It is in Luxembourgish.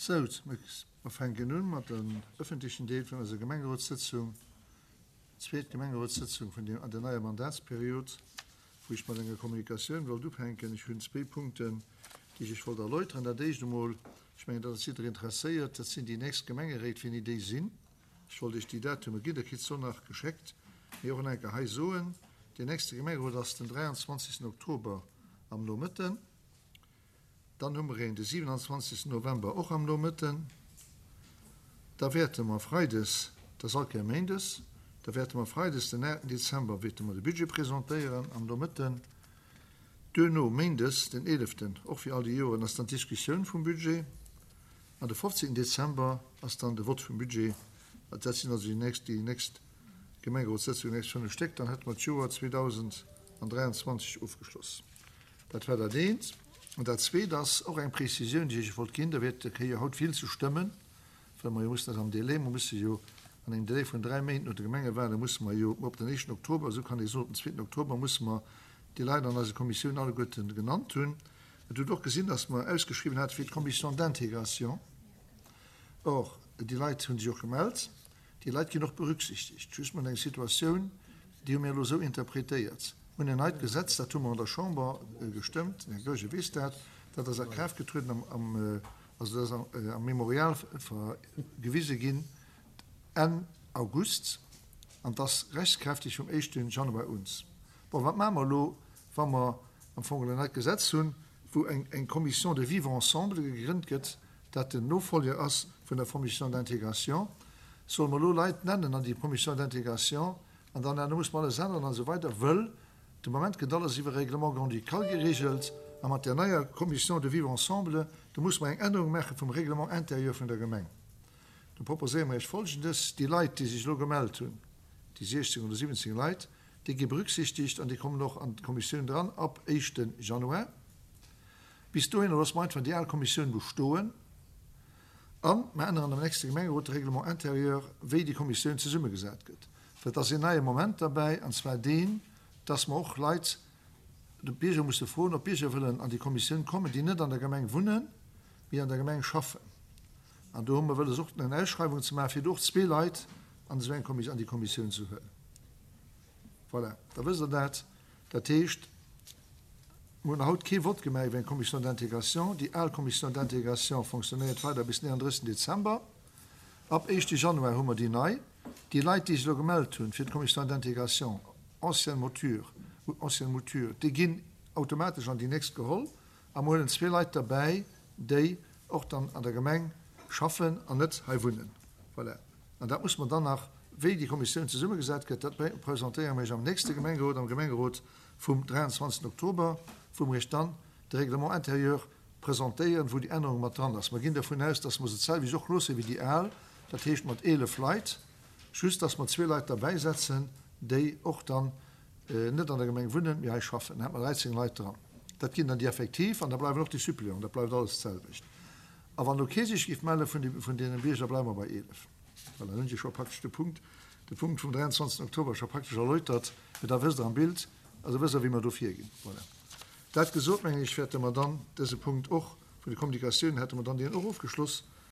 Sou, mer fänken un mat dem ëffentlechen Deel vun eiser Gemengerotssëtzung, zweet Gemengerotssëtzung vun der an der neier Mandatsperiod, wou ech mat enger Kommunikatioun wollt ufänken. Ech hunn zwéi Punkten, déi ech Iech wollt erläuteren. Dat éischt emol, ech mengen, dat ass jidderee interesséiert, dat sinn déi nächst Gemengeréit, wéini déi sinn. Ech wollt Iech déi Datume ginn, Der kritt se och nach geschéckt, mee och nach eng Kéier hei soen, Deen nächste Gemengerot ass den 23. Oktober am Nomëtten. Dann hu mer een de 27. November och am Nomëtten. Da wäerte mer freides, dat ass all Kéier méindes, da wäerte mer freides den 8. Dezember wäerte mer de Budget presentéieren am Nomëtten. Duerno méindes den 11. och wéi all déi Joren ass dann d'Diskussioun vum Budget. An de 15. Dezember ass dann de Vott vum Budget. Dat sinn also déi nächst, déi nächst Gemengerotssëtzungen, déi nächst 5 Stéck. Dann hätte mer d'Joer 2023 ofgeschloss. Dat war dat eent. An dat zweet ass och eng Prezisioun, déi ech Iech wollt ginn. Der wäert der kréie jo haut vill ze stëmmen, well mer jo mussen dat am Délai, mer musse jo an engem Délai vun dräi Méint no de Gemengewahlen musse mer jo op den éischten Oktober, esou kann ee soen, op den zweeten Oktober musse mer déi Leit an eise Kommissiounen alleguerten genannt hunn. Et hutt och gesinn, dass mer ausgeschriwwen hate fir d'Commission d'intégration. Or, déi Leit hu sech och gemellt. Déi Leit ginn och berücksichtegt. Just mer hunn eng Situatioun, déi hu mir elo esou interpretéiert. Mir hunn en neit Gesetz, dat hu mer an der Chamber gestëmmt, den Här Goergen weess dat, dat ass a Kraaft getrueden am, am, also dat ass am, am Memorial gewise ginn Enn August an 't ass rechtskräfteg vum éischte Januar un. Bon, wat maache mer elo, wa mer am Fong en neit Gesetz hunn, wou eng, eng Commission de vivre ensemble gegrënnt gëtt, dat den Nofolger ass vun der Commission d'intégration, solle mer elo Leit nennen an déi Commission d'intégration an dann herno muss mer alles änneren an esou weider, wëll de Moment gëtt alles iwwer Règlement grand-ducal geregelt a mat där neier Commission de vivre ensemble, do muss mer eng Ännerung maache vum Règlement intérieur vun der Gemeng. Do proposéiere mer Iech Folgendes, Déi Leit, déi sech elo gemellt hunn, déi 16 oder 17 Leit, déi gi berücksichtigt an déi kommen och an d'Kommissioun dran ab éischte Januar. Bis dohinner loosse mer einfach déi al Kommissioun bestoen a mer änneren am nächste Gemengerot de Règlement intérieur, wéi déi Kommissioun zesummegesat gëtt. Well et ass een neie Moment derbäi, an zwar deen, dass mer och Leit, de Bierger musse froen, ob Bierger wëllen an déi Kommissioun kommen, déi net an der Gemeng wunnen, mee an der Gemeng schaffen. An do hu mer wëlles och eng Ausschreiwung ze maachen, fir do och zwee Leit an esou eng Kommissioun, an déi Kommissioun ze huelen. Voilà, da wësst Der dat. Dat heescht, mer hunn haut kee Vott gemaach iwwer eng Commission d'intégration. Déi al Commission d'intégration fonctionnéiert weider bis 39 Dezember. Ab éischte Januar hu mer déi nei. Déi Leit, déi sech elo gemellt hunn fir d'Commission d'intégration, ancienne mouture, ancienne mouture, déi ginn automatesch an déi nächst geholl. A mer huelen zwee Leit derbäi, déi och dann an der Gemeng schaffen an net hei wunnen. Voilà. An dat muss mer dann nach, wéi déi Kommissioun zesummegesat gëtt, dat presentéiere mer Iech am nächste Gemengerot, am Gemengerot vum 23. Oktober, wou mer Iech dann de Règlement intérieur presentéieren, wou déi Ännerung mat dran ass. Mer ginn dervun aus, dass mer se d'selwecht och loosse wéi déi al, dat heescht mat 11 Leit, just dass mer zwee Leit derbäisetzen, déi och dann net an der Gemeng wunnen, mee hei schaffen. Dann hätte mer 13 Leit dran. Dat ginn dann déi Effektiv an da bleiwen och déi Suppléanten, dat bleift alles d'selwecht. A wann elo kee sech géif melle vun deene Bierger, bleiwe mer bei 11. Voilà, dann hunn ech scho praktesch de Punkt, de Punkt vum 23. Oktober scho praktesch erläutert, mee da wësst Der am Bild, also wësst Der, wéi mer do virginn. Voilà. Dat gesot, mengen ech, wäerte mer dann dëse Punkt och vun de Kommunikatiounen, hätte mer dann deen och ofgeschloss.